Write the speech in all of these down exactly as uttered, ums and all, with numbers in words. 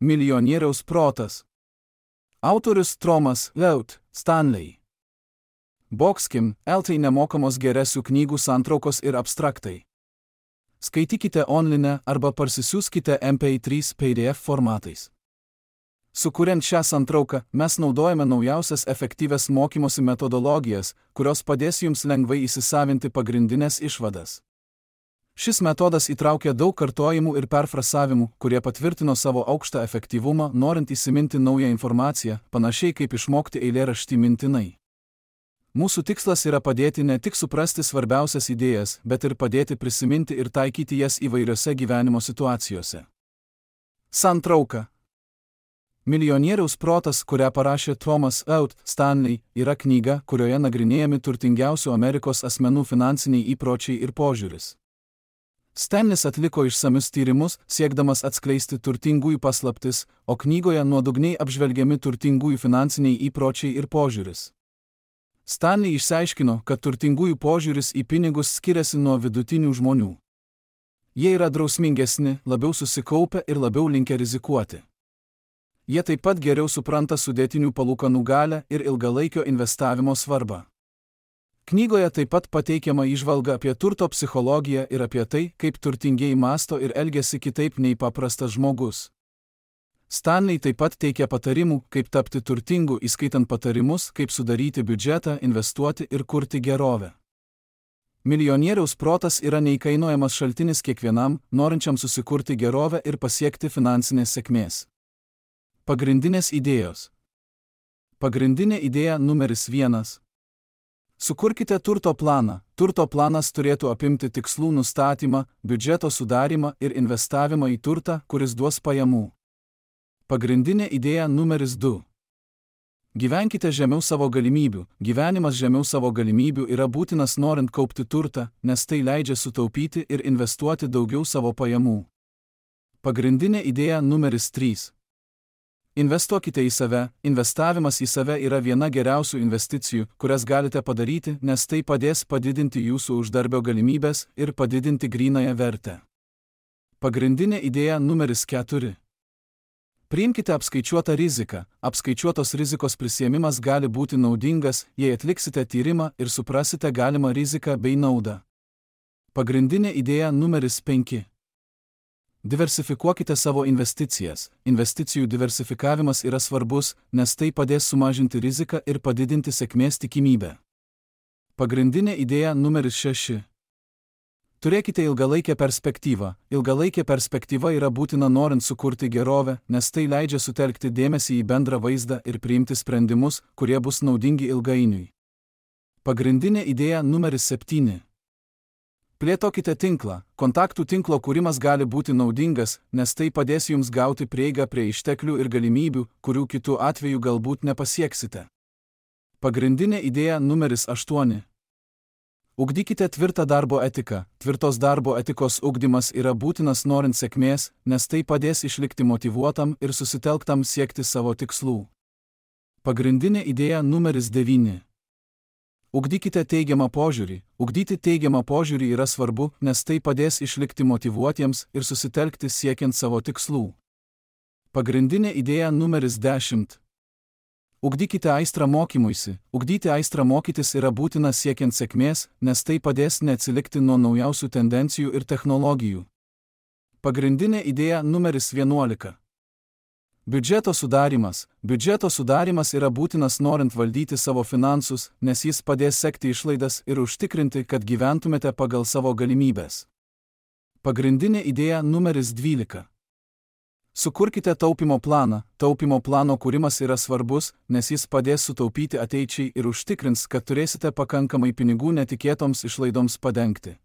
Milijonieriaus protas. Autorius Thomas Leut Stanley. Boxkim, eltai nemokamos geresių knygų santraukos ir abstraktai. Skaitykite online arba parsisiųskite M P trys P D F formatais. Sukuriant šią santrauką, mes naudojame naujausias efektyvias mokymosi metodologijas, kurios padės jums lengvai įsisavinti pagrindinės išvadas. Šis metodas įtraukia daug kartojimų ir perfrasavimų, kurie patvirtino savo aukštą efektyvumą, norint įsiminti naują informaciją, panašiai kaip išmokti eilėraštį mintinai. Mūsų tikslas yra padėti ne tik suprasti svarbiausias idėjas, bet ir padėti prisiminti ir taikyti jas įvairiose gyvenimo situacijose. Santrauka. Milijonieriaus protas, kurią parašė Thomas Leut Stanley, yra knyga, kurioje nagrinėjami turtingiausių Amerikos asmenų finansiniai įpročiai ir požiūris. Stanlis atliko išsamius tyrimus, siekdamas atskleisti turtingųjų paslaptis, o knygoje nuodugniai apžvelgiami turtingųjų finansiniai įpročiai ir požiūris. Stanley išsiaiškino, kad turtingųjų požiūris į pinigus skiriasi nuo vidutinių žmonių. Jie yra drausmingesni, labiau susikaupę ir labiau linkę rizikuoti. Jie taip pat geriau supranta sudėtinių palūkanų galią ir ilgalaikio investavimo svarbą. Knygoje taip pat pateikiama įžvalga apie turto psichologiją ir apie tai, kaip turtingieji mąsto ir elgiasi kitaip nei paprastas žmogus. Stanley taip pat teikia patarimų, kaip tapti turtingu, įskaitant patarimus, kaip sudaryti biudžetą, investuoti ir kurti gerovę. Milijonieriaus protas yra neįkainojamas šaltinis kiekvienam, norinčiam susikurti gerovę ir pasiekti finansinės sėkmės. Pagrindinės idėjos. Pagrindinė idėja numeris vienas. Sukurkite turto planą. Turto planas turėtų apimti tikslų nustatymą, biudžeto sudarymą ir investavimą į turtą, kuris duos pajamų. Pagrindinė idėja numeris du. Gyvenkite žemiau savo galimybių. Gyvenimas žemiau savo galimybių yra būtinas norint kaupti turtą, nes tai leidžia sutaupyti ir investuoti daugiau savo pajamų. Pagrindinė idėja numeris trys. Investuokite į save. Investavimas į save yra viena geriausių investicijų, kurias galite padaryti, nes tai padės padidinti jūsų uždarbio galimybės ir padidinti grynąją vertę. Pagrindinė idėja numeris keturi. Priimkite apskaičiuotą riziką. Apskaičiuotos rizikos prisiėmimas gali būti naudingas, jei atliksite tyrimą ir suprasite galimą riziką bei naudą. Pagrindinė idėja numeris penki. Diversifikuokite savo investicijas. Investicijų diversifikavimas yra svarbus, nes tai padės sumažinti riziką ir padidinti sėkmės tikimybę. Pagrindinė idėja numeris šeši. Turėkite ilgalaikę perspektyvą. Ilgalaikė perspektyva yra būtina norint sukurti gerovę, nes tai leidžia sutelkti dėmesį į bendrą vaizdą ir priimti sprendimus, kurie bus naudingi ilgainiui. Pagrindinė idėja numeris septyni. Plėtokite tinklą. Kontaktų tinklo kūrimas gali būti naudingas, nes tai padės jums gauti prieigą prie išteklių ir galimybių, kurių kitų atveju galbūt nepasieksite. Pagrindinė idėja numeris aštuoni. Ugdykite tvirtą darbo etiką. Tvirtos darbo etikos ugdymas yra būtinas norint sėkmės, nes tai padės išlikti motyvuotam ir susitelktam siekti savo tikslų. Pagrindinė idėja numeris devyni. Ugdykite teigiamą požiūrį. Ugdyti teigiamą požiūrį yra svarbu, nes tai padės išlikti motyvuotiems ir susitelkti siekiant savo tikslų. Pagrindinė idėja numeris dešimt. Ugdykite aistrą mokymuisi. Ugdyti aistrą mokytis yra būtina siekiant sėkmės, nes tai padės neatsilikti nuo naujausių tendencijų ir technologijų. Pagrindinė idėja numeris vienuolika. Biudžeto sudarymas. Biudžeto sudarymas yra būtinas norint valdyti savo finansus, nes jis padės sekti išlaidas ir užtikrinti, kad gyventumėte pagal savo galimybės. Pagrindinė idėja numeris dvylika. Sukurkite taupimo planą. Taupimo plano kūrimas yra svarbus, nes jis padės sutaupyti ateičiai ir užtikrins, kad turėsite pakankamai pinigų netikėtoms išlaidoms padengti.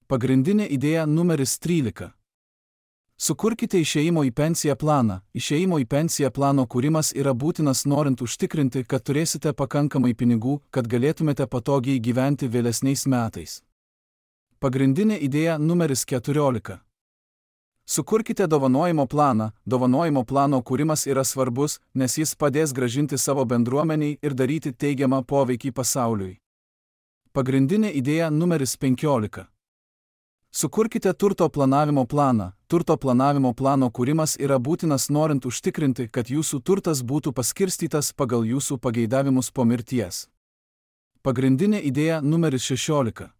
Pagrindinė idėja numeris trylika. Sukurkite išėjimo į pensiją planą. Išėjimo į pensiją plano kūrimas yra būtinas norint užtikrinti, kad turėsite pakankamai pinigų, kad galėtumėte patogiai gyventi vėlesniais metais. Pagrindinė idėja numeris keturiolika. Sukurkite dovanojimo planą. Dovanojimo plano kūrimas yra svarbus, nes jis padės grąžinti savo bendruomeniai ir daryti teigiamą poveikį pasauliui. Pagrindinė idėja numeris penkiolika. Sukurkite turto planavimo planą. turto planavimo plano kūrimas yra būtinas norint užtikrinti, kad jūsų turtas būtų paskirstytas pagal jūsų pageidavimus po mirties. Pagrindinė idėja numeris šešiolika.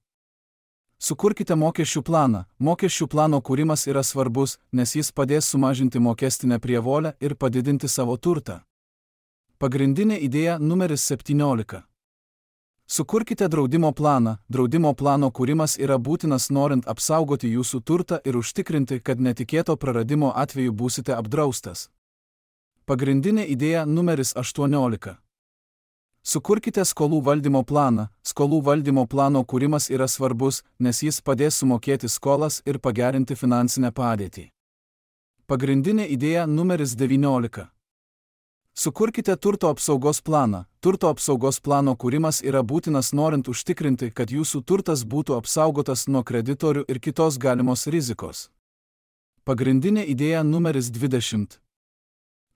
Sukurkite mokesčių planą. Mokesčių plano kūrimas yra svarbus, nes jis padės sumažinti mokestinę prievolę ir padidinti savo turtą. Pagrindinė idėja numeris septyniolika. Sukurkite draudimo planą. Draudimo plano kūrimas yra būtinas norint apsaugoti jūsų turtą ir užtikrinti, kad netikėto praradimo atveju būsite apdraustas. Pagrindinė idėja numeris aštuoniolika. Sukurkite skolų valdymo planą. Skolų valdymo plano kūrimas yra svarbus, nes jis padės sumokėti skolas ir pagerinti finansinę padėtį. Pagrindinė idėja numeris devyniolika. Sukurkite turto apsaugos planą. Turto apsaugos plano kūrimas yra būtinas norint užtikrinti, kad jūsų turtas būtų apsaugotas nuo kreditorių ir kitos galimos rizikos. Pagrindinė idėja numeris dvidešimt.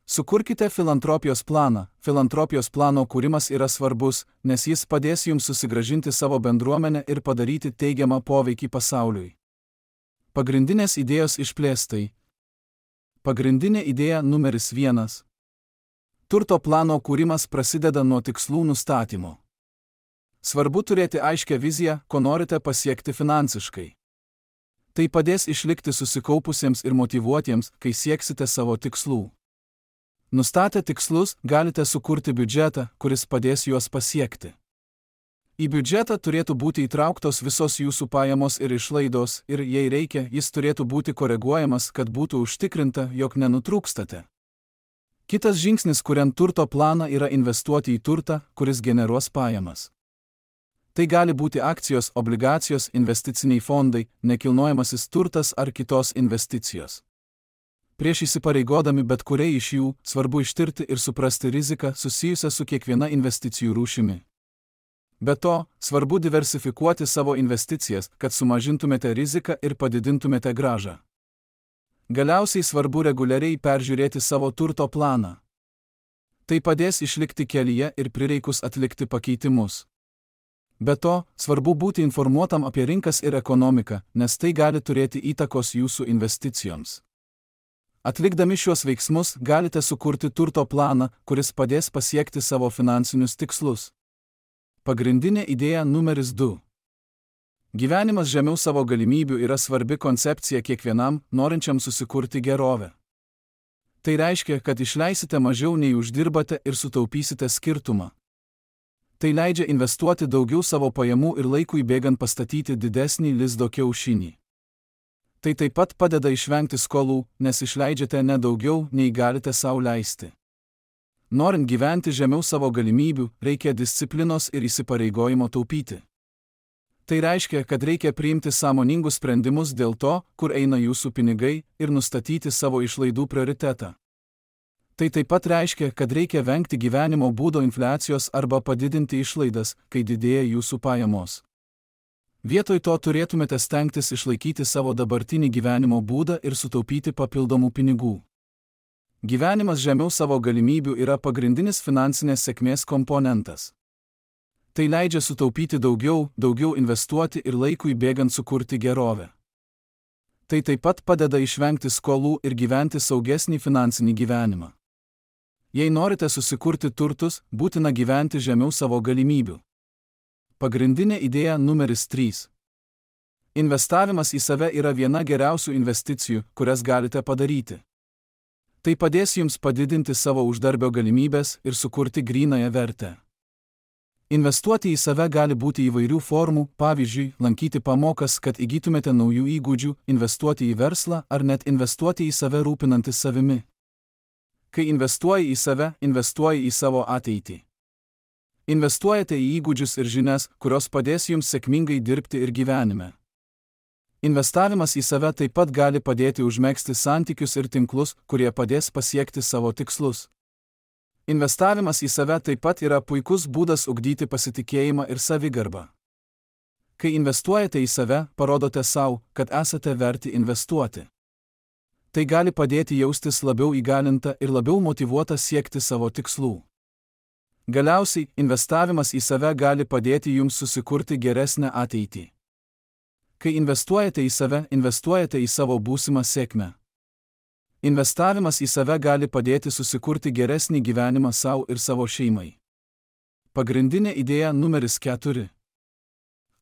Sukurkite filantropijos planą. Filantropijos plano kūrimas yra svarbus, nes jis padės jums susigrąžinti savo bendruomenę ir padaryti teigiamą poveikį pasauliui. Pagrindinės idėjos išplėstai. Pagrindinė idėja numeris vienas. Turto plano kūrimas prasideda nuo tikslų nustatymo. Svarbu turėti aiškią viziją, ko norite pasiekti finansiškai. Tai padės išlikti susikaupusiems ir motyvuotiems, kai sieksite savo tikslų. Nustatę tikslus, galite sukurti biudžetą, kuris padės juos pasiekti. Į biudžetą turėtų būti įtrauktos visos jūsų pajamos ir išlaidos ir, jei reikia, jis turėtų būti koreguojamas, kad būtų užtikrinta, jog nenutrūkstate. Kitas žingsnis, kuriant turto planą, yra investuoti į turtą, kuris generuos pajamas. Tai gali būti akcijos, obligacijos, investiciniai fondai, nekilnojamasis turtas ar kitos investicijos. Prieš įsipareigodami bet kuriai iš jų, svarbu ištirti ir suprasti riziką susijusią su kiekviena investicijų rūšimi. Be to, svarbu diversifikuoti savo investicijas, kad sumažintumėte riziką ir padidintumėte grąžą. Galiausiai svarbu reguliariai peržiūrėti savo turto planą. Tai padės išlikti kelyje ir prireikus atlikti pakeitimus. Be to, svarbu būti informuotam apie rinkas ir ekonomiką, nes tai gali turėti įtakos jūsų investicijoms. Atlikdami šiuos veiksmus, galite sukurti turto planą, kuris padės pasiekti savo finansinius tikslus. Pagrindinė idėja numeris du. Gyvenimas žemiau savo galimybių yra svarbi koncepcija kiekvienam, norinčiam susikurti gerovę. Tai reiškia, kad išleisite mažiau nei uždirbate ir sutaupysite skirtumą. Tai leidžia investuoti daugiau savo pajamų ir laikui bėgant pastatyti didesnį lizdo kiaušinį. Tai taip pat padeda išvengti skolų, nes išleidžiate ne daugiau, nei galite sau leisti. Norint gyventi žemiau savo galimybių, reikia disciplinos ir įsipareigojimo taupyti. Tai reiškia, kad reikia priimti sąmoningus sprendimus dėl to, kur eina jūsų pinigai, ir nustatyti savo išlaidų prioritetą. Tai taip pat reiškia, kad reikia vengti gyvenimo būdo infliacijos arba padidinti išlaidas, kai didėja jūsų pajamos. Vietoj to turėtumėte stengtis išlaikyti savo dabartinį gyvenimo būdą ir sutaupyti papildomų pinigų. Gyvenimas žemiau savo galimybių yra pagrindinis finansinės sėkmės komponentas. Tai leidžia sutaupyti daugiau, daugiau investuoti ir laikui bėgant sukurti gerovę. Tai taip pat padeda išvengti skolų ir gyventi saugesnį finansinį gyvenimą. Jei norite susikurti turtus, būtina gyventi žemiau savo galimybių. Pagrindinė idėja numeris trys. Investavimas į save yra viena geriausių investicijų, kurias galite padaryti. Tai padės jums padidinti savo uždarbio galimybės ir sukurti grynąją vertę. Investuoti į save gali būti įvairių formų, pavyzdžiui, lankyti pamokas, kad įgytumėte naujų įgūdžių, investuoti į verslą ar net investuoti į save rūpinantis savimi. Kai investuoji į save, investuoji į savo ateitį. Investuojate į įgūdžius ir žinias, kurios padės jums sėkmingai dirbti ir gyvenime. Investavimas į save taip pat gali padėti užmegzti santykius ir tinklus, kurie padės pasiekti savo tikslus. Investavimas į save taip pat yra puikus būdas ugdyti pasitikėjimą ir savigarbą. Kai investuojate į save, parodote savo, kad esate verti investuoti. Tai gali padėti jaustis labiau įgalinta ir labiau motyvuota siekti savo tikslų. Galiausiai, investavimas į save gali padėti jums susikurti geresnę ateitį. Kai investuojate į save, investuojate į savo būsimą sėkmę. Investavimas į save gali padėti susikurti geresnį gyvenimą savo ir savo šeimai. Pagrindinė idėja numeris keturi.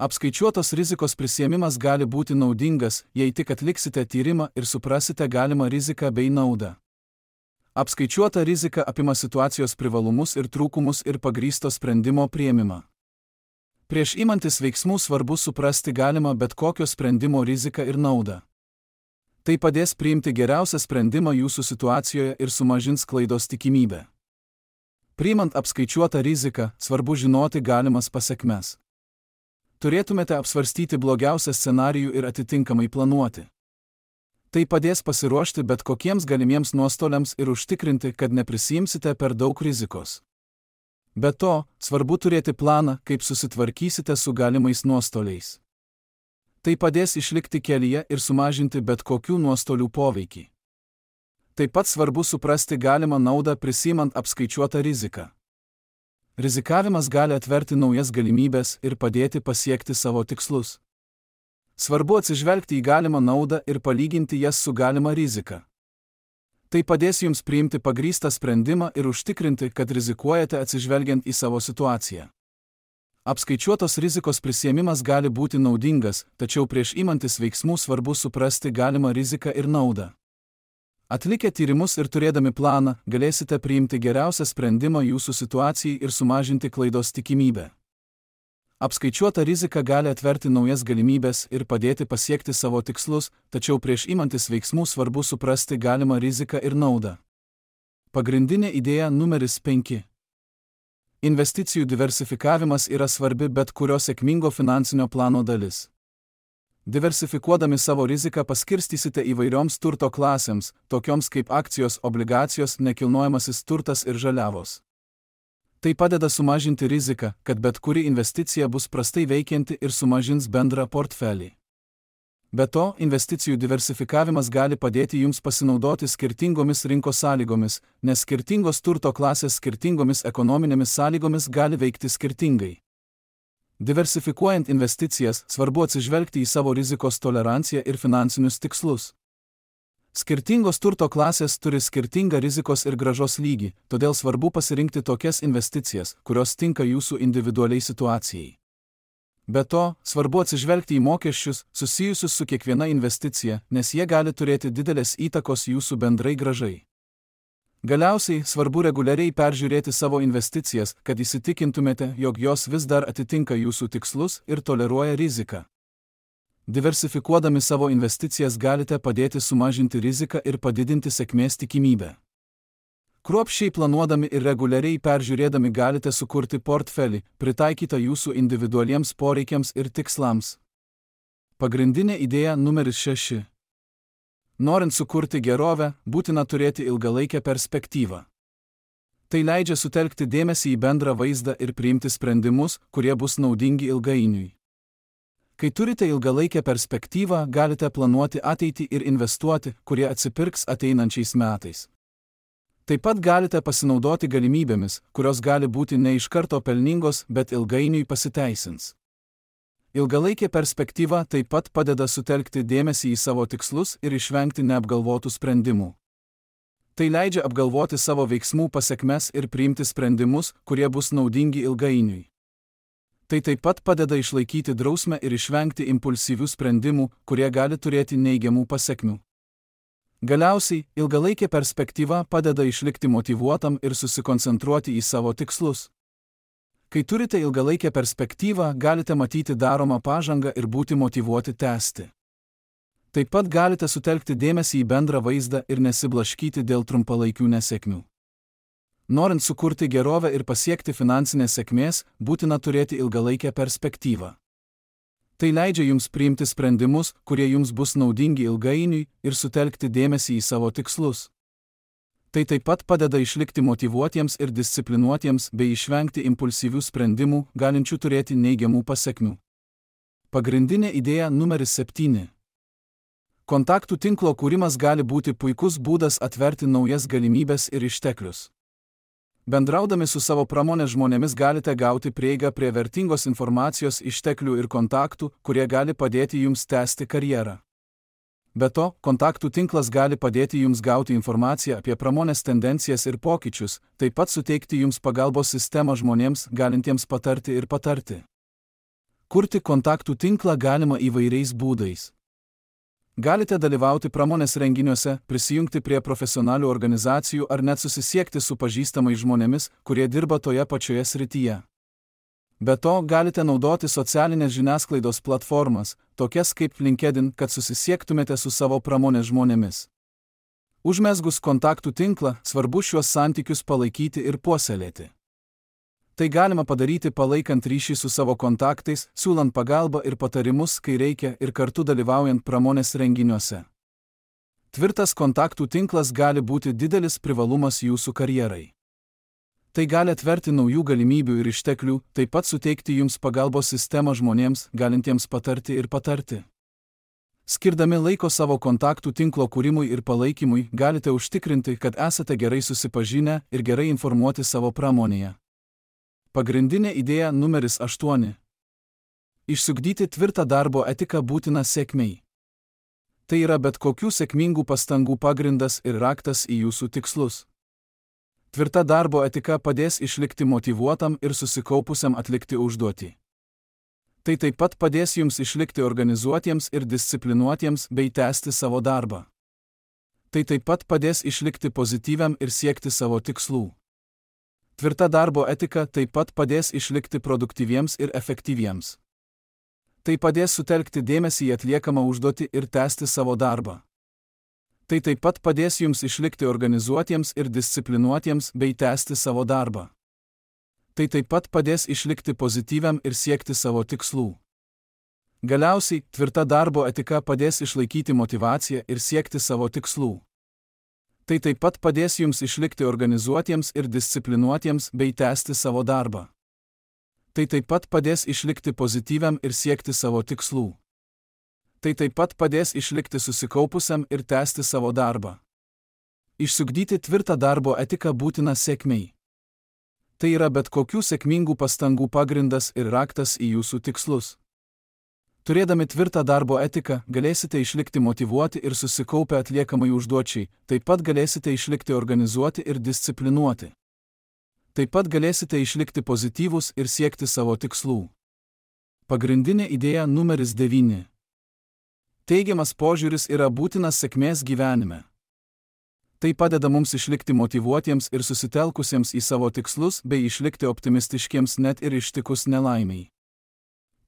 Apskaičiuotos rizikos prisiėmimas gali būti naudingas, jei tik atliksite tyrimą ir suprasite galimą riziką bei naudą. Apskaičiuota rizika apima situacijos privalumus ir trūkumus ir pagrįsto sprendimo priėmimą. Prieš imantis veiksmų svarbu suprasti galimą bet kokio sprendimo riziką ir naudą. Tai padės priimti geriausią sprendimą jūsų situacijoje ir sumažins klaidos tikimybę. Priimant apskaičiuotą riziką, svarbu žinoti galimas pasekmes. Turėtumėte apsvarstyti blogiausią scenarijų ir atitinkamai planuoti. Tai padės pasiruošti bet kokiems galimiems nuostoliams ir užtikrinti, kad neprisiimsite per daug rizikos. Be to, svarbu turėti planą, kaip susitvarkysite su galimais nuostoliais. Tai padės išlikti kelyje ir sumažinti bet kokių nuostolių poveikį. Taip pat svarbu suprasti galimą naudą prisimant apskaičiuotą riziką. Rizikavimas gali atverti naujas galimybės ir padėti pasiekti savo tikslus. Svarbu atsižvelgti į galimą naudą ir palyginti jas su galima rizika. Tai padės jums priimti pagrįstą sprendimą ir užtikrinti, kad rizikuojate atsižvelgiant į savo situaciją. Apskaičiuotos rizikos prisiėmimas gali būti naudingas, tačiau prieš imantis veiksmų svarbu suprasti galimą riziką ir naudą. Atlikę tyrimus ir turėdami planą, galėsite priimti geriausią sprendimą jūsų situacijai ir sumažinti klaidos tikimybę. Apskaičiuota rizika gali atverti naujas galimybės ir padėti pasiekti savo tikslus, tačiau prieš imantis veiksmų svarbu suprasti galimą riziką ir naudą. Pagrindinė idėja numeris penki. Investicijų diversifikavimas yra svarbi bet kurio sėkmingo finansinio plano dalis. Diversifikuodami savo riziką paskirstysite įvairioms turto klasėms, tokioms kaip akcijos, obligacijos, nekilnojamasis turtas ir žaliavos. Tai padeda sumažinti riziką, kad bet kuri investicija bus prastai veikianti ir sumažins bendrą portfelį. Be to, investicijų diversifikavimas gali padėti jums pasinaudoti skirtingomis rinkos sąlygomis, nes skirtingos turto klasės skirtingomis ekonominėmis sąlygomis gali veikti skirtingai. Diversifikuojant investicijas, svarbu atsižvelgti į savo rizikos toleranciją ir finansinius tikslus. Skirtingos turto klasės turi skirtingą rizikos ir grąžos lygį, todėl svarbu pasirinkti tokias investicijas, kurios tinka jūsų individualiai situacijai. Be to, svarbu atsižvelgti į mokesčius, susijusius su kiekviena investicija, nes jie gali turėti didelės įtakos jūsų bendrai grąžai. Galiausiai, svarbu reguliariai peržiūrėti savo investicijas, kad įsitikintumėte, jog jos vis dar atitinka jūsų tikslus ir toleruoja riziką. Diversifikuodami savo investicijas galite padėti sumažinti riziką ir padidinti sėkmės tikimybę. Kruopščiai planuodami ir reguliariai peržiūrėdami galite sukurti portfelį, pritaikytą jūsų individualiems poreikiams ir tikslams. Pagrindinė idėja numeris šeši. Norint sukurti gerovę, būtina turėti ilgalaikę perspektyvą. Tai leidžia sutelkti dėmesį į bendrą vaizdą ir priimti sprendimus, kurie bus naudingi ilgainiui. Kai turite ilgalaikę perspektyvą, galite planuoti ateitį ir investuoti, kurie atsipirks ateinančiais metais. Taip pat galite pasinaudoti galimybėmis, kurios gali būti ne iš karto pelningos, bet ilgainiui pasiteisins. Ilgalaikė perspektyva taip pat padeda sutelkti dėmesį į savo tikslus ir išvengti neapgalvotų sprendimų. Tai leidžia apgalvoti savo veiksmų pasekmes ir priimti sprendimus, kurie bus naudingi ilgainiui. Tai taip pat padeda išlaikyti drausmę ir išvengti impulsyvių sprendimų, kurie gali turėti neigiamų pasekmių. Galiausiai, ilgalaikė perspektyva padeda išlikti motyvuotam ir susikoncentruoti į savo tikslus. Kai turite ilgalaikę perspektyvą, galite matyti daromą pažangą ir būti motyvuoti tęsti. Taip pat galite sutelkti dėmesį į bendrą vaizdą ir nesiblaškyti dėl trumpalaikių nesėkmių. Norint sukurti gerovę ir pasiekti finansinės sėkmės, būtina turėti ilgalaikę perspektyvą. Tai leidžia jums priimti sprendimus, kurie jums bus naudingi ilgainiui ir sutelkti dėmesį į savo tikslus. Tai taip pat padeda išlikti motyvuotiems ir disciplinuotiems bei išvengti impulsyvių sprendimų, galinčių turėti neigiamų pasekmių. Pagrindinė idėja numeris septyni. Kontaktų tinklo kūrimas gali būti puikus būdas atverti naujas galimybes ir išteklius. Bendraudami su savo pramonės žmonėmis galite gauti prieigą prie vertingos informacijos išteklių ir kontaktų, kurie gali padėti jums tęsti karjerą. Be to, kontaktų tinklas gali padėti jums gauti informaciją apie pramonės tendencijas ir pokyčius, taip pat suteikti jums pagalbos sistemą žmonėms, galintiems patarti ir patarti. Kurti kontaktų tinklą galima įvairiais būdais. Galite dalyvauti pramonės renginiuose, prisijungti prie profesionalių organizacijų ar net susisiekti su pažįstamais žmonėmis, kurie dirba toje pačioje srityje. Be to, galite naudoti socialinės žiniasklaidos platformas, tokias kaip LinkedIn, kad susisiektumėte su savo pramonės žmonėmis. Užmezgus kontaktų tinklą, svarbu šiuos santykius palaikyti ir puoselėti. Tai galima padaryti palaikant ryšį su savo kontaktais, siūlant pagalbą ir patarimus, kai reikia, ir kartu dalyvaujant pramonės renginiuose. Tvirtas kontaktų tinklas gali būti didelis privalumas jūsų karjerai. Tai gali atverti naujų galimybių ir išteklių, taip pat suteikti jums pagalbos sistemą žmonėms, galintiems patarti ir patarti. Skirdami laiko savo kontaktų tinklo kūrimui ir palaikymui, galite užtikrinti, kad esate gerai susipažinę ir gerai informuoti savo pramonėje. Pagrindinė idėja numeris aštuoni. Išsiugdyti tvirtą darbo etiką būtina sėkmei. Tai yra bet kokių sėkmingų pastangų pagrindas ir raktas į jūsų tikslus. Tvirta darbo etika padės išlikti motyvuotam ir susikaupusiam atlikti užduotį. Tai taip pat padės jums išlikti organizuotiems ir disciplinuotiems bei tęsti savo darbą. Tai taip pat padės išlikti pozityviam ir siekti savo tikslų. Tvirta darbo etika taip pat padės išlikti produktyviems ir efektyviems. Tai padės sutelkti dėmesį į atliekamą užduotį ir tęsti savo darbą. Tai taip pat padės jums išlikti organizuotiems ir disciplinuotiems bei tęsti savo darbą. Tai taip pat padės išlikti pozityviam ir siekti savo tikslų. Galiausiai, tvirta darbo etika padės išlaikyti motyvaciją ir siekti savo tikslų. Tai taip pat padės jums išlikti organizuotiems ir disciplinuotiems bei tęsti savo darbą. Tai taip pat padės išlikti pozityviam ir siekti savo tikslų. Tai taip pat padės išlikti susikaupusiam ir tęsti savo darbą. Išsiugdyti tvirtą darbo etiką būtina sėkmei. Tai yra bet kokių sėkmingų pastangų pagrindas ir raktas į jūsų tikslus. Turėdami tvirtą darbo etiką, galėsite išlikti motyvuoti ir susikaupę atliekamai užduočiai, taip pat galėsite išlikti organizuoti ir disciplinuoti. Taip pat galėsite išlikti pozityvūs ir siekti savo tikslų. Pagrindinė idėja numeris devyni. Teigiamas požiūris yra būtinas sėkmės gyvenime. Tai padeda mums išlikti motyvuotiems ir susitelkusiems į savo tikslus bei išlikti optimistiškiems net ir ištikus nelaimiai.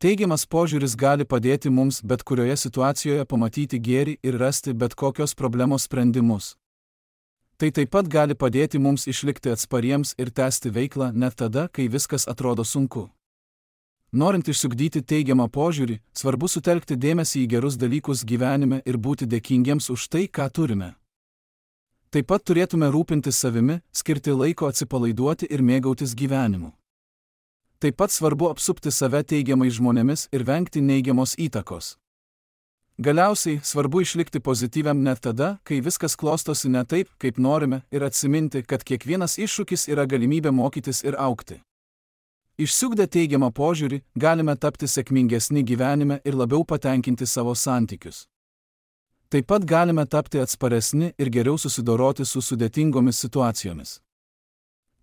Teigiamas požiūris gali padėti mums bet kurioje situacijoje pamatyti gėrį ir rasti bet kokios problemos sprendimus. Tai taip pat gali padėti mums išlikti atspariems ir tęsti veiklą net tada, kai viskas atrodo sunku. Norint išsiugdyti teigiamą požiūrį, svarbu sutelkti dėmesį į gerus dalykus gyvenime ir būti dėkingiems už tai, ką turime. Taip pat turėtume rūpintis savimi, skirti laiko atsipalaiduoti ir mėgautis gyvenimu. Taip pat svarbu apsupti save teigiamais žmonėmis ir vengti neigiamos įtakos. Galiausiai, svarbu išlikti pozityviam net tada, kai viskas klostosi ne taip, kaip norime, ir atsiminti, kad kiekvienas iššūkis yra galimybė mokytis ir augti. Išsiugdę teigiamą požiūrį, galime tapti sėkmingesni gyvenime ir labiau patenkinti savo santykius. Taip pat galime tapti atsparesni ir geriau susidoroti su sudėtingomis situacijomis.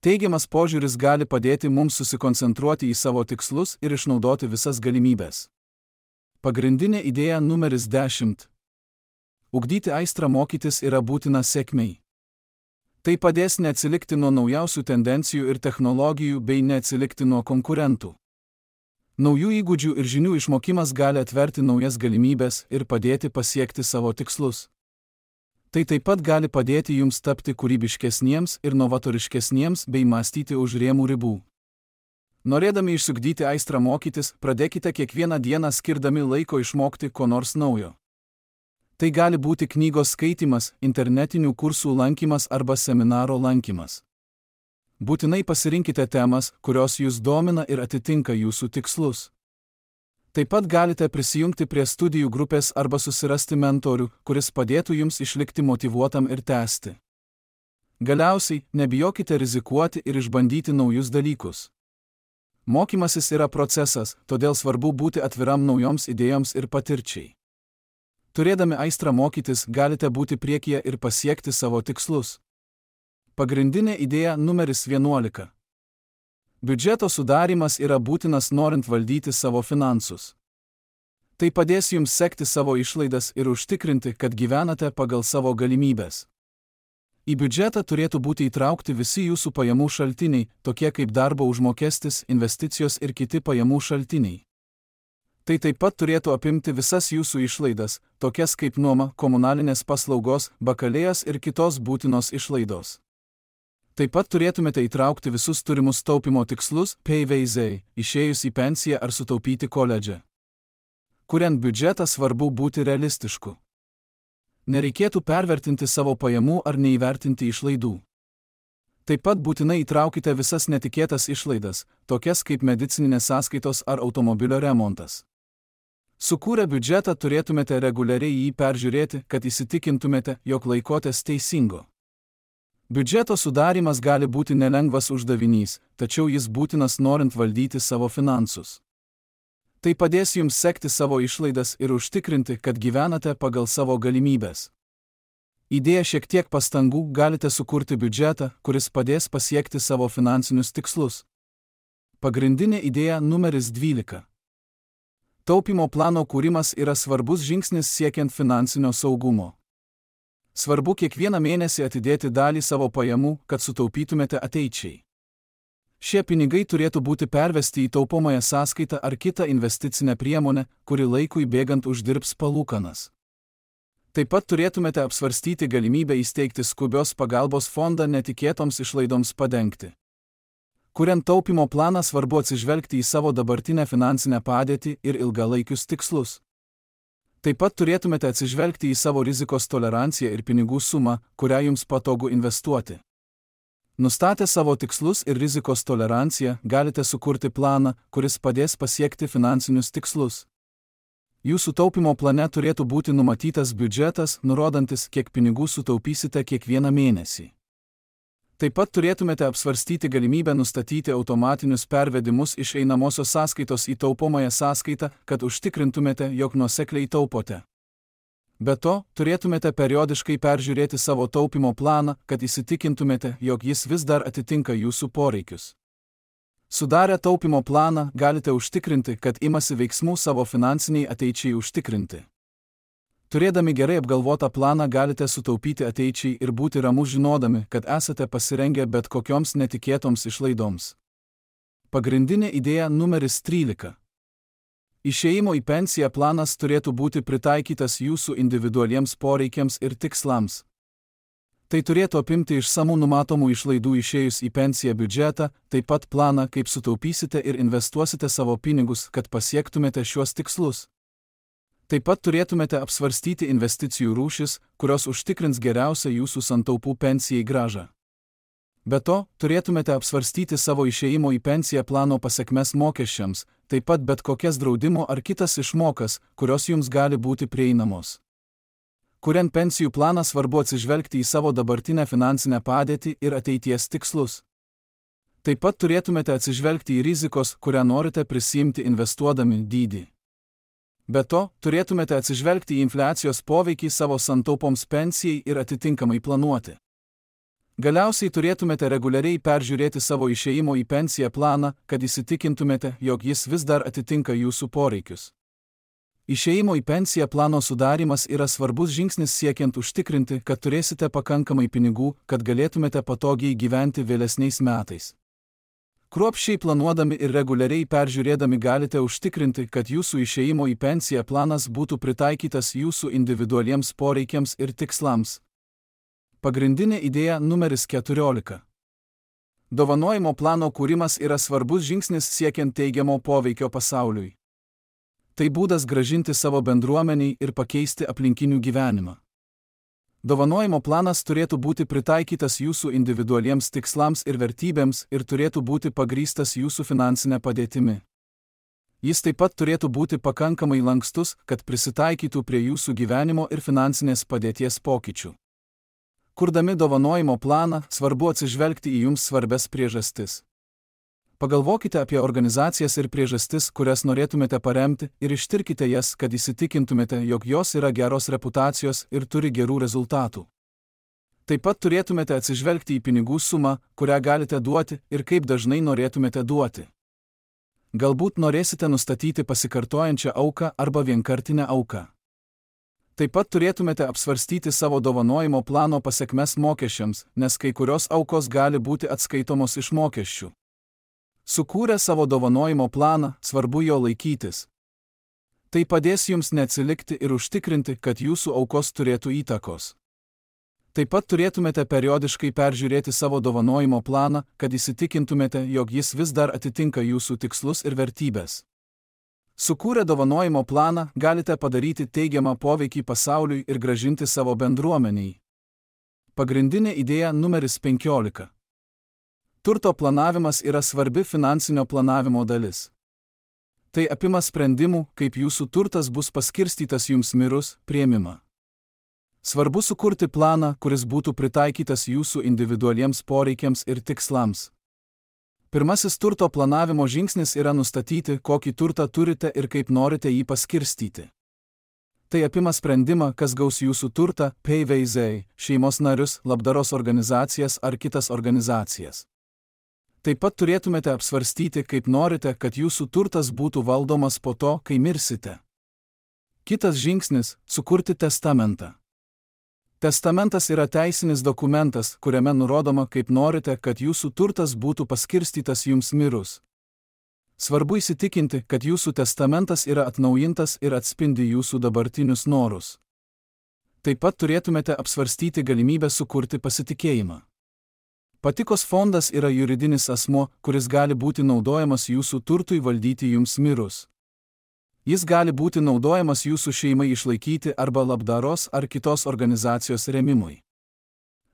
Teigiamas požiūris gali padėti mums susikoncentruoti į savo tikslus ir išnaudoti visas galimybės. Pagrindinė idėja numeris dešimt. Ugdyti aistrą mokytis yra būtina sėkmei. Tai padės neatsilikti nuo naujausių tendencijų ir technologijų bei neatsilikti nuo konkurentų. Naujų įgūdžių ir žinių išmokimas gali atverti naujas galimybės ir padėti pasiekti savo tikslus. Tai taip pat gali padėti jums tapti kūrybiškesniems ir novatoriškesniems bei mąstyti už rėmų ribų. Norėdami išsiugdyti aistrą mokytis, pradėkite kiekvieną dieną skirdami laiko išmokti ko nors naujo. Tai gali būti knygos skaitymas, internetinių kursų lankymas arba seminaro lankymas. Būtinai pasirinkite temas, kurios jūs domina ir atitinka jūsų tikslus. Taip pat galite prisijungti prie studijų grupės arba susirasti mentorių, kuris padėtų jums išlikti motyvuotam ir tęsti. Galiausiai, nebijokite rizikuoti ir išbandyti naujus dalykus. Mokymasis yra procesas, todėl svarbu būti atviram naujoms idėjoms ir patirčiai. Turėdami aistrą mokytis, galite būti priekyje ir pasiekti savo tikslus. Pagrindinė idėja numeris vienuolika. Biudžeto sudarimas yra būtinas norint valdyti savo finansus. Tai padės jums sekti savo išlaidas ir užtikrinti, kad gyvenate pagal savo galimybės. Į biudžetą turėtų būti įtraukti visi jūsų pajamų šaltiniai, tokie kaip darbo užmokestis, investicijos ir kiti pajamų šaltiniai. Tai taip pat turėtų apimti visas jūsų išlaidas, tokias kaip nuoma, komunalinės paslaugos, bakalėjas ir kitos būtinos išlaidos. Taip pat turėtumėte įtraukti visus turimus taupimo tikslus, P V Z, išėjus į pensiją ar sutaupyti koledže. Kuriant biudžetą svarbu būti realistišku. Nereikėtų pervertinti savo pajamų ar neįvertinti išlaidų. Taip pat būtinai įtraukite visas netikėtas išlaidas, tokias kaip medicininės sąskaitos ar automobilio remontas. Sukūrę biudžetą turėtumėte reguliariai jį peržiūrėti, kad įsitikintumėte, jog laikotės teisingo. Biudžeto sudarimas gali būti nelengvas uždavinys, tačiau jis būtinas norint valdyti savo finansus. Tai padės jums sekti savo išlaidas ir užtikrinti, kad gyvenate pagal savo galimybės. Įdėję šiek tiek pastangų galite sukurti biudžetą, kuris padės pasiekti savo finansinius tikslus. Pagrindinė idėja numeris dvylika. Taupimo plano kūrimas yra svarbus žingsnis siekiant finansinio saugumo. Svarbu kiekvieną mėnesį atidėti dalį savo pajamų, kad sutaupytumėte ateičiai. Šie pinigai turėtų būti pervesti į taupomąją sąskaitą ar kitą investicinę priemonę, kuri laikui bėgant uždirbs palūkanas. Taip pat turėtumėte apsvarstyti galimybę įsteigti skubios pagalbos fondą netikėtoms išlaidoms padengti. Kuriant taupimo planą svarbu atsižvelgti į savo dabartinę finansinę padėtį ir ilgalaikius tikslus. Taip pat turėtumėte atsižvelgti į savo rizikos toleranciją ir pinigų sumą, kurią jums patogu investuoti. Nustatę savo tikslus ir rizikos toleranciją, galite sukurti planą, kuris padės pasiekti finansinius tikslus. Jūsų taupimo plane turėtų būti numatytas biudžetas, nurodantis, kiek pinigų sutaupysite kiekvieną mėnesį. Taip pat turėtumėte apsvarstyti galimybę nustatyti automatinius pervedimus iš einamosios sąskaitos į taupomąją sąskaitą, kad užtikrintumėte, jog nuosekliai taupote. Be to, turėtumėte periodiškai peržiūrėti savo taupimo planą, kad įsitikintumėte, jog jis vis dar atitinka jūsų poreikius. Sudarę taupimo planą, galite užtikrinti, kad imasi veiksmų savo finansiniai ateičiai užtikrinti. Turėdami gerai apgalvotą planą galite sutaupyti ateičiai ir būti ramus žinodami, kad esate pasirengę bet kokioms netikėtoms išlaidoms. Pagrindinė idėja numeris trylika. Išėjimo į pensiją planas turėtų būti pritaikytas jūsų individualiems poreikiams ir tikslams. Tai turėtų apimti išsamų numatomų išlaidų išėjus į pensiją biudžetą, taip pat planą, kaip sutaupysite ir investuosite savo pinigus, kad pasiektumėte šiuos tikslus. Taip pat turėtumėte apsvarstyti investicijų rūšis, kurios užtikrins geriausią jūsų santaupų pensijai grąžą. Be to, turėtumėte apsvarstyti savo išėjimo į pensiją plano pasekmes mokesčiams, taip pat bet kokias draudimo ar kitas išmokas, kurios jums gali būti prieinamos. Kuriant pensijų planą svarbu atsižvelgti į savo dabartinę finansinę padėtį ir ateities tikslus. Taip pat turėtumėte atsižvelgti į rizikos, kurią norite prisiimti investuodami dydį. Be to, turėtumėte atsižvelgti į infliacijos poveikį savo santaupoms pensijai ir atitinkamai planuoti. Galiausiai turėtumėte reguliariai peržiūrėti savo išėjimo į pensiją planą, kad įsitikintumėte, jog jis vis dar atitinka jūsų poreikius. Išėjimo į pensiją plano sudarimas yra svarbus žingsnis siekiant užtikrinti, kad turėsite pakankamai pinigų, kad galėtumėte patogiai gyventi vėlesniais metais. Kruopščiai planuodami ir reguliariai peržiūrėdami galite užtikrinti, kad jūsų išėjimo į pensiją planas būtų pritaikytas jūsų individualiems poreikiams ir tikslams. Pagrindinė idėja numeris keturiolika. Dovanojimo plano kūrimas yra svarbus žingsnis siekiant teigiamo poveikio pasauliui. Tai būdas grąžinti savo bendruomeniai ir pakeisti aplinkinių gyvenimą. Dovanojimo planas turėtų būti pritaikytas jūsų individualiems tikslams ir vertybėms ir turėtų būti pagrįstas jūsų finansinė padėtimi. Jis taip pat turėtų būti pakankamai lankstus, kad prisitaikytų prie jūsų gyvenimo ir finansinės padėties pokyčių. Kurdami dovanojimo planą, svarbu atsižvelgti į jums svarbias priežastis. Pagalvokite apie organizacijas ir priežastis, kurias norėtumėte paremti, ir ištirkite jas, kad įsitikintumėte, jog jos yra geros reputacijos ir turi gerų rezultatų. Taip pat turėtumėte atsižvelgti į pinigų sumą, kurią galite duoti, ir kaip dažnai norėtumėte duoti. Galbūt norėsite nustatyti pasikartojančią auką arba vienkartinę auką. Taip pat turėtumėte apsvarstyti savo dovanojimo plano pasekmes mokesčiams, nes kai kurios aukos gali būti atskaitomos iš mokesčių. Sukūrę savo dovanojimo planą, svarbu jo laikytis. Tai padės jums neatsilikti ir užtikrinti, kad jūsų aukos turėtų įtakos. Taip pat turėtumėte periodiškai peržiūrėti savo dovanojimo planą, kad įsitikintumėte, jog jis vis dar atitinka jūsų tikslus ir vertybės. Sukūrę dovanojimo planą, galite padaryti teigiamą poveikį pasauliui ir grąžinti savo bendruomeniai. Pagrindinė idėja numeris penkiolika. Turto planavimas yra svarbi finansinio planavimo dalis. Tai apima sprendimų, kaip jūsų turtas bus paskirstytas jums mirus, priėmimą. Svarbu sukurti planą, kuris būtų pritaikytas jūsų individualiems poreikiams ir tikslams. Pirmasis turto planavimo žingsnis yra nustatyti, kokį turtą turite ir kaip norite jį paskirstyti. Tai apima sprendimą, kas gaus jūsų turtą, P V Z, šeimos narius, labdaros organizacijas ar kitas organizacijas. Taip pat turėtumėte apsvarstyti, kaip norite, kad jūsų turtas būtų valdomas po to, kai mirsite. Kitas žingsnis – sukurti testamentą. Testamentas yra teisinis dokumentas, kuriame nurodoma, kaip norite, kad jūsų turtas būtų paskirstytas jums mirus. Svarbu įsitikinti, kad jūsų testamentas yra atnaujintas ir atspindi jūsų dabartinius norus. Taip pat turėtumėte apsvarstyti galimybę sukurti pasitikėjimą. Patikos fondas yra juridinis asmuo, kuris gali būti naudojamas jūsų turtui valdyti jums mirus. Jis gali būti naudojamas jūsų šeimai išlaikyti arba labdaros ar kitos organizacijos rėmimui.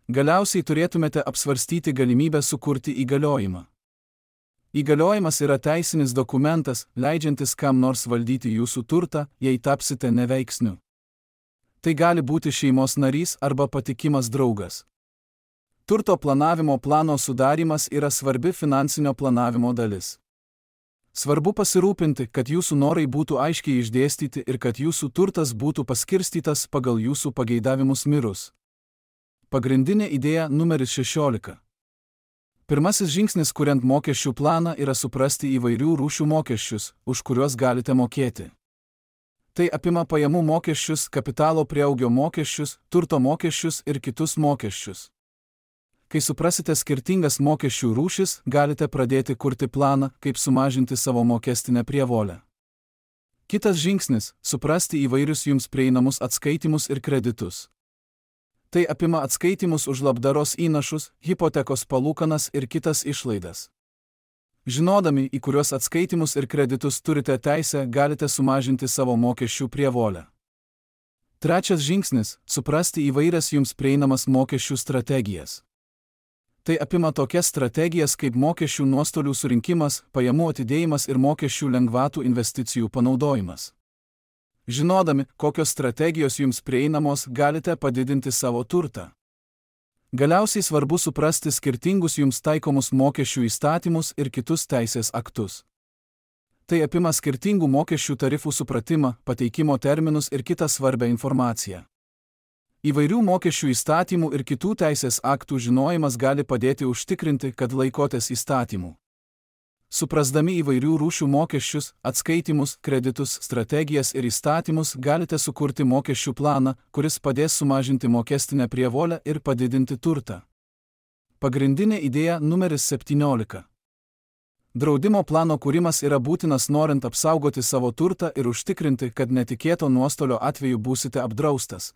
Galiausiai turėtumėte apsvarstyti galimybę sukurti įgaliojimą. Įgaliojimas yra teisinis dokumentas, leidžiantis kam nors valdyti jūsų turtą, jei tapsite neveiksniu. Tai gali būti šeimos narys arba patikimas draugas. Turto planavimo plano sudarymas yra svarbi finansinio planavimo dalis. Svarbu pasirūpinti, kad jūsų norai būtų aiškiai išdėstyti ir kad jūsų turtas būtų paskirstytas pagal jūsų pageidavimus mirus. Pagrindinė idėja numeris šešiolika. Pirmasis žingsnis kuriant mokesčių planą yra suprasti įvairių rūšių mokesčius, už kuriuos galite mokėti. Tai apima pajamų mokesčius, kapitalo prieaugio mokesčius, turto mokesčius ir kitus mokesčius. Kai suprasite skirtingas mokesčių rūšis, galite pradėti kurti planą, kaip sumažinti savo mokestinę prievolę. Kitas žingsnis – suprasti įvairius jums prieinamus atskaitimus ir kreditus. Tai apima atskaitimus už labdaros įnašus, hipotekos palūkanas ir kitas išlaidas. Žinodami, į kuriuos atskaitimus ir kreditus turite teisę, galite sumažinti savo mokesčių prievolę. Trečias žingsnis – suprasti įvairias jums prieinamas mokesčių strategijas. Tai apima tokias strategijas kaip mokesčių nuostolių surinkimas, pajamų atidėjimas ir mokesčių lengvatų investicijų panaudojimas. Žinodami, kokios strategijos jums prieinamos, galite padidinti savo turtą. Galiausiai svarbu suprasti skirtingus jums taikomus mokesčių įstatymus ir kitus teisės aktus. Tai apima skirtingų mokesčių tarifų supratimą, pateikimo terminus ir kitą svarbią informaciją. Įvairių mokesčių įstatymų ir kitų teisės aktų žinojimas gali padėti užtikrinti, kad laikotės įstatymų. Suprasdami įvairių rūšių mokesčius, atskaitimus, kreditus, strategijas ir įstatymus, galite sukurti mokesčių planą, kuris padės sumažinti mokestinę prievolę ir padidinti turtą. Pagrindinė idėja numeris septyniolika. Draudimo plano kūrimas yra būtinas norint apsaugoti savo turtą ir užtikrinti, kad netikėto nuostolio atveju būsite apdraustas.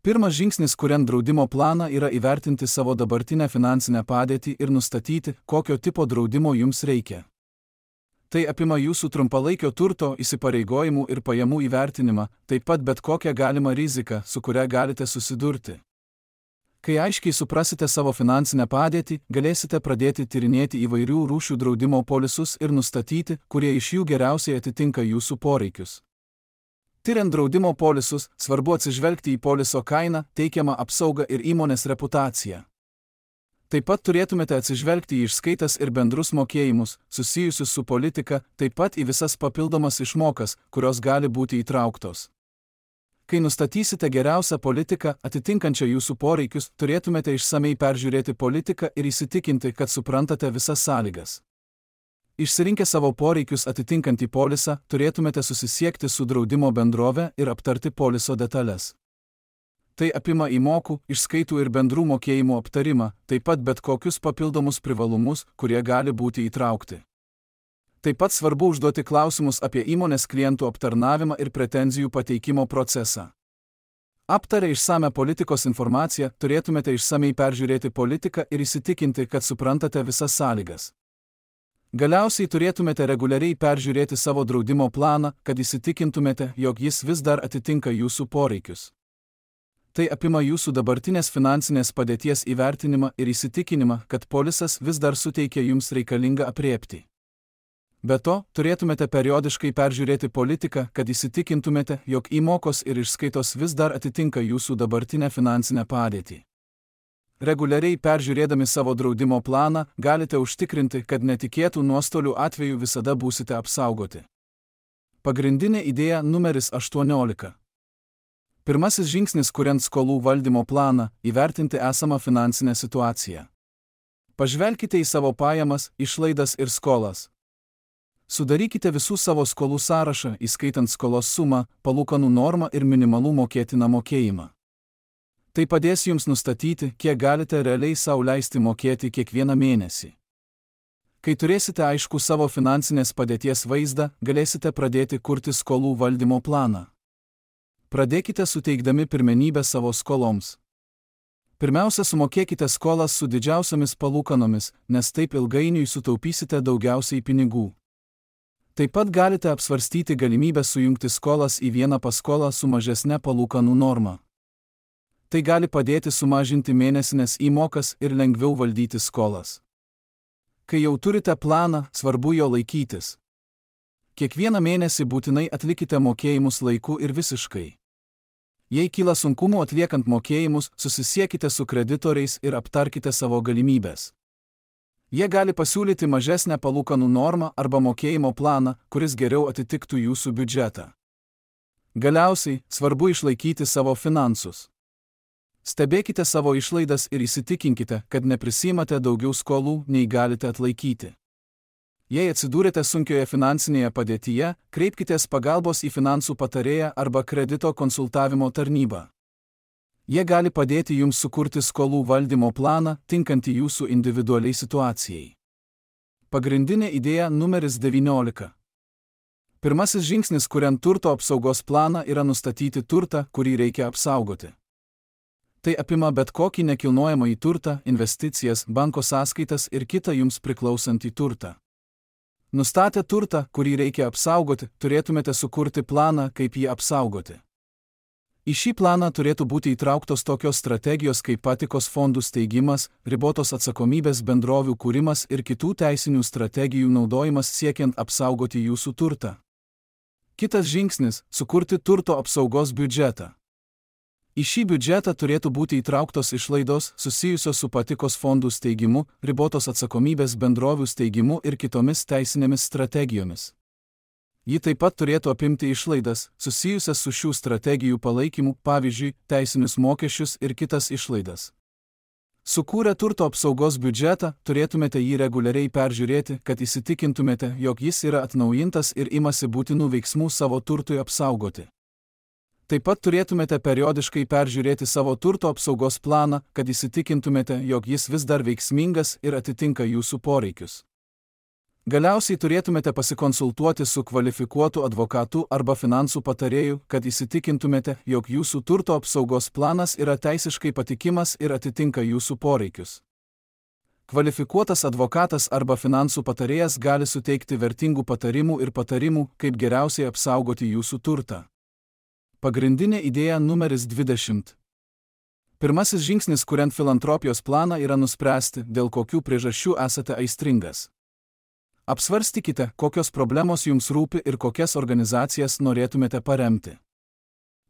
Pirmas žingsnis kuriant draudimo planą yra įvertinti savo dabartinę finansinę padėtį ir nustatyti, kokio tipo draudimo jums reikia. Tai apima jūsų trumpalaikio turto, įsipareigojimų ir pajamų įvertinimą, taip pat bet kokią galimą riziką, su kuria galite susidurti. Kai aiškiai suprasite savo finansinę padėtį, galėsite pradėti tyrinėti įvairių rūšių draudimo polisus ir nustatyti, kurie iš jų geriausiai atitinka jūsų poreikius. Tyriant draudimo polisus, svarbu atsižvelgti į poliso kainą, teikiamą apsaugą ir įmonės reputaciją. Taip pat turėtumėte atsižvelgti į išskaitas ir bendrus mokėjimus, susijusius su politika, taip pat į visas papildomas išmokas, kurios gali būti įtrauktos. Kai nustatysite geriausią politiką, atitinkančią jūsų poreikius, turėtumėte išsamei peržiūrėti politiką ir įsitikinti, kad suprantate visas sąlygas. Išsirinkę savo poreikius atitinkantį polisą, turėtumėte susisiekti su draudimo bendrove ir aptarti poliso detalės. Tai apima įmokų, išskaitų ir bendrų mokėjimų aptarimą, taip pat bet kokius papildomus privalumus, kurie gali būti įtraukti. Taip pat svarbu užduoti klausimus apie įmonės klientų aptarnavimą ir pretenzijų pateikimo procesą. Aptarę išsame politikos informaciją, turėtumėte išsamei peržiūrėti politiką ir įsitikinti, kad suprantate visas sąlygas. Galiausiai turėtumėte reguliariai peržiūrėti savo draudimo planą, kad įsitikintumėte, jog jis vis dar atitinka jūsų poreikius. Tai apima jūsų dabartinės finansinės padėties įvertinimą ir įsitikinimą, kad polisas vis dar suteikia jums reikalingą aprėptį. Be to, turėtumėte periodiškai peržiūrėti politiką, kad įsitikintumėte, jog įmokos ir išskaitos vis dar atitinka jūsų dabartinę finansinę padėtį. Reguliariai peržiūrėdami savo draudimo planą, galite užtikrinti, kad netikėtų nuostolių atveju visada būsite apsaugoti. Pagrindinė idėja numeris aštuoniolika. Pirmasis žingsnis kuriant skolų valdymo planą – įvertinti esamą finansinę situaciją. Pažvelkite į savo pajamas, išlaidas ir skolas. Sudarykite visų savo skolų sąrašą, įskaitant skolos sumą, palūkanų normą ir minimalų mokėtiną mokėjimą. Tai padės jums nustatyti, kiek galite realiai sau leisti mokėti kiekvieną mėnesį. Kai turėsite aišku savo finansinės padėties vaizdą, galėsite pradėti kurti skolų valdymo planą. Pradėkite suteikdami pirmenybę savo skoloms. Pirmiausia, sumokėkite skolas su didžiausiamis palūkanomis, nes taip ilgainiui sutaupysite daugiausiai pinigų. Taip pat galite apsvarstyti galimybę sujungti skolas į vieną paskolą su mažesne palūkanų norma. Tai gali padėti sumažinti mėnesinės įmokas ir lengviau valdyti skolas. Kai jau turite planą, svarbu jo laikytis. Kiekvieną mėnesį būtinai atlikite mokėjimus laiku ir visiškai. Jei kyla sunkumų atliekant mokėjimus, susisiekite su kreditoriais ir aptarkite savo galimybės. Jie gali pasiūlyti mažesnę palūkanų normą arba mokėjimo planą, kuris geriau atitiktų jūsų biudžetą. Galiausiai, svarbu išlaikyti savo finansus. Stebėkite savo išlaidas ir įsitikinkite, kad neprisimate daugiau skolų, nei galite atlaikyti. Jei atsidūrėte sunkioje finansinėje padėtyje, kreipkitės pagalbos į finansų patarėją arba kredito konsultavimo tarnybą. Jie gali padėti jums sukurti skolų valdymo planą, tinkantį jūsų individualiai situacijai. Pagrindinė idėja numeris devyniolika. Pirmasis žingsnis kuriant turto apsaugos planą yra nustatyti turtą, kurį reikia apsaugoti. Tai apima bet kokį nekilnojamąjį turtą, investicijas, banko sąskaitas ir kitą jums priklausantį turtą. Nustatę turtą, kurį reikia apsaugoti, turėtumėte sukurti planą, kaip jį apsaugoti. Į šį planą turėtų būti įtrauktos tokios strategijos kaip patikos fondų steigimas, ribotos atsakomybės bendrovių kūrimas ir kitų teisinių strategijų naudojimas siekiant apsaugoti jūsų turtą. Kitas žingsnis – sukurti turto apsaugos biudžetą. Į šį biudžetą turėtų būti įtrauktos išlaidos susijusios su patikos fondų steigimu, ribotos atsakomybės bendrovių steigimu ir kitomis teisinėmis strategijomis. Ji taip pat turėtų apimti išlaidas, susijusias su šių strategijų palaikymu, pavyzdžiui, teisinius mokesčius ir kitas išlaidas. Sukūrę turto apsaugos biudžetą, turėtumėte jį reguliariai peržiūrėti, kad įsitikintumėte, jog jis yra atnaujintas ir imasi būtinų veiksmų savo turtui apsaugoti. Taip pat turėtumėte periodiškai peržiūrėti savo turto apsaugos planą, kad įsitikintumėte, jog jis vis dar veiksmingas ir atitinka jūsų poreikius. Galiausiai turėtumėte pasikonsultuoti su kvalifikuotu advokatu arba finansų patarėju, kad įsitikintumėte, jog jūsų turto apsaugos planas yra teisiškai patikimas ir atitinka jūsų poreikius. Kvalifikuotas advokatas arba finansų patarėjas gali suteikti vertingų patarimų ir patarimų, kaip geriausiai apsaugoti jūsų turtą. Pagrindinė idėja numeris dvidešimt. Pirmasis žingsnis kuriant filantropijos planą yra nuspręsti, dėl kokių priežasčių esate aistringas. Apsvarstykite, kokios problemos jums rūpi ir kokias organizacijas norėtumėte paremti.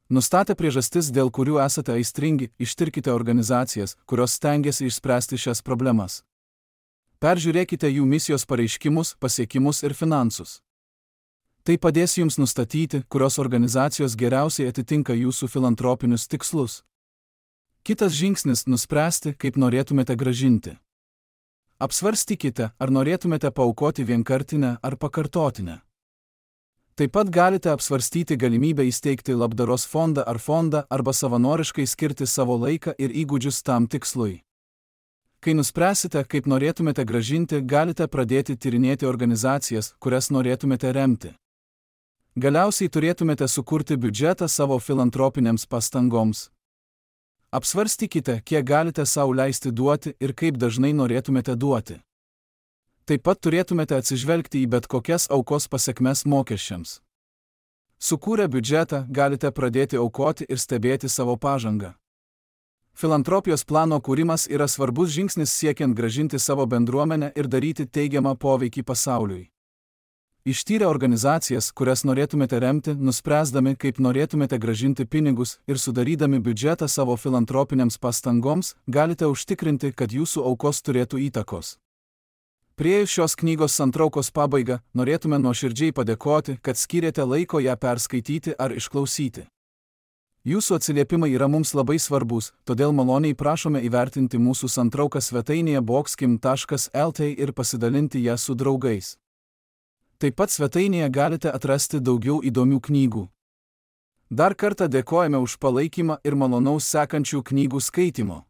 Nustatę priežastis, dėl kurių esate aistringi, ištirkite organizacijas, kurios stengiasi išspręsti šias problemas. Peržiūrėkite jų misijos pareiškimus, pasiekimus ir finansus. Tai padės jums nustatyti, kurios organizacijos geriausiai atitinka jūsų filantropinius tikslus. Kitas žingsnis – nuspręsti, kaip norėtumėte gražinti. Apsvarstykite, ar norėtumėte paaukoti vienkartinę ar pakartotinę. Taip pat galite apsvarstyti galimybę įsteigti labdaros fondą ar fondą arba savanoriškai skirti savo laiką ir įgūdžius tam tikslui. Kai nuspręsite, kaip norėtumėte gražinti, galite pradėti tyrinėti organizacijas, kurias norėtumėte remti. Galiausiai turėtumėte sukurti biudžetą savo filantropinėms pastangoms. Apsvarstykite, kiek galite sau leisti duoti ir kaip dažnai norėtumėte duoti. Taip pat turėtumėte atsižvelgti į bet kokias aukos pasekmes mokesčiams. Sukūrę biudžetą, galite pradėti aukoti ir stebėti savo pažangą. Filantropijos plano kūrimas yra svarbus žingsnis siekiant gražinti savo bendruomenę ir daryti teigiamą poveikį pasauliui. Ištyrę organizacijas, kurias norėtumėte remti, nuspręsdami, kaip norėtumėte gražinti pinigus ir sudarydami biudžetą savo filantropinėms pastangoms, galite užtikrinti, kad jūsų aukos turėtų įtakos. Priėjus šios knygos santraukos pabaigą, norėtume nuoširdžiai padėkoti, kad skyrėte laiko ją perskaityti ar išklausyti. Jūsų atsiliepimai yra mums labai svarbus, todėl maloniai prašome įvertinti mūsų santrauką svetainėje boxkim taškas lt ir pasidalinti ją su draugais. Taip pat svetainėje galite atrasti daugiau įdomių knygų. Dar kartą dėkojame už palaikymą ir malonaus sekančių knygų skaitimo.